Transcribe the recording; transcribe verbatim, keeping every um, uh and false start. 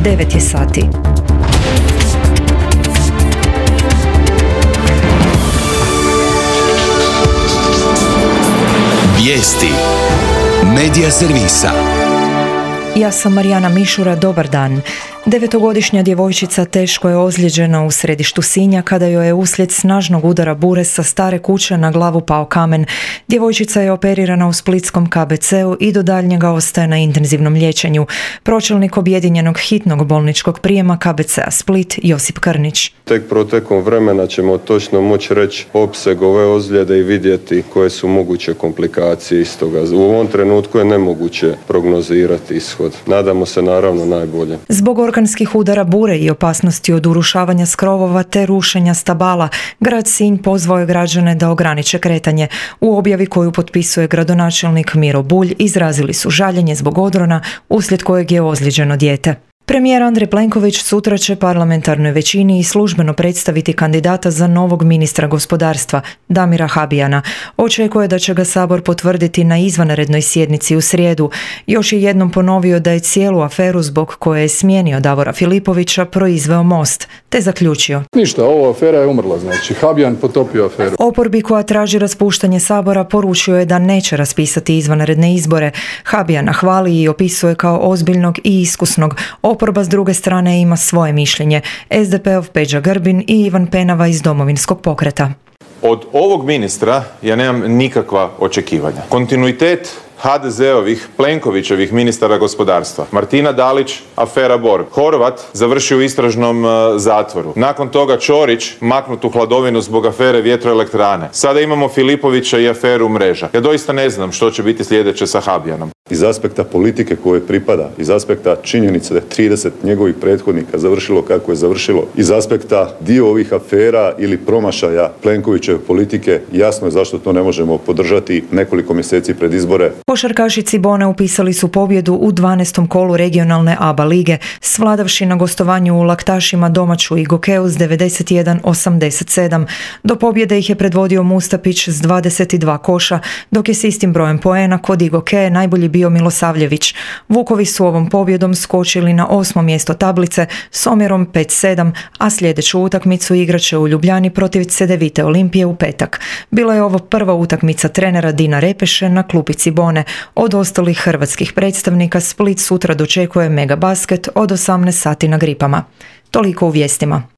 devet je sati. Vijesti Medija servisa. Ja sam Marijana Mišura, dobar dan. Devetogodišnja djevojčica teško je ozlijeđena u središtu Sinja kada joj je uslijed snažnog udara bure sa stare kuće na glavu pao kamen. Djevojčica je operirana u splitskom K B C-u i do daljnjega ostaje na intenzivnom liječenju. Pročelnik objedinjenog hitnog bolničkog prijema K B C-a Split Josip Krnić. Tek protekom vremena ćemo točno moći reći opseg ove ozljede i vidjeti koje su moguće komplikacije iz toga. U ovom trenutku je nemoguće prognozirati ishod. Nadamo se naravno najbolje. Zbog orkanskih udara bure i opasnosti od urušavanja skrovova te rušenja stabala, grad Sinj pozvao je građane da ograniče kretanje. U objavi koju potpisuje gradonačelnik Miro Bulj izrazili su žaljenje zbog odrona uslijed kojeg je ozlijeđeno dijete. Premijer Andrej Plenković sutra će parlamentarnoj većini i službeno predstaviti kandidata za novog ministra gospodarstva, Damira Habijana. Očekuje da će ga Sabor potvrditi na izvanrednoj sjednici u srijedu. Još je jednom ponovio da je cijelu aferu zbog koje je smijenio Davora Filipovića proizveo Most, te zaključio: Ništa, ova afera je umrla, znači Habijan potopio aferu. Oporbi koja traži raspuštanje Sabora poručio je da neće raspisati izvanredne izbore. Habijana hvali i opisuje kao ozbiljnog i iskusnog. Oporba s druge strane ima svoje mišljenje. S D P-ov Peđa Grbin i Ivan Penava iz Domovinskog pokreta. Od ovog ministra ja nemam nikakva očekivanja. Kontinuitet ha de zeovih, Plenkovićevih ministara gospodarstva. Martina Dalić, afera Borg. Horvat završio u istražnom uh, zatvoru. Nakon toga Ćorić maknut u hladovinu zbog afere vjetroelektrane. Sada imamo Filipovića i aferu Mreža. Ja doista ne znam što će biti sljedeće sa Habijanom. Iz aspekta politike koje pripada, iz aspekta činjenice da je trideset njegovih prethodnika završilo kako je završilo, iz aspekta dio ovih afera ili promašaja Plenkovićeve politike, jasno je zašto to ne možemo podržati nekoliko mjeseci pred izbore. Košarkaši Cibone upisali su pobjedu u dvanaestom kolu regionalne A B A lige, svladavši na gostovanju u Laktašima domaću Igokeu s devedeset jedan osamdeset sedam. Do pobjede ih je predvodio Mustapić s dvadeset dva koša, dok je s istim brojem poena kod Igoke najbolji bio Milosavljević. Vukovi su ovom pobjedom skočili na osmo mjesto tablice s omjerom pet sedam, a sljedeću utakmicu igraće u Ljubljani protiv Cedevite Olimpije u petak. Bila je ovo prva utakmica trenera Dina Repeše na klupi Cibone. Od ostalih hrvatskih predstavnika Split sutra dočekuje Mega Basket od osamnaest sati na Gripama. Toliko u vijestima.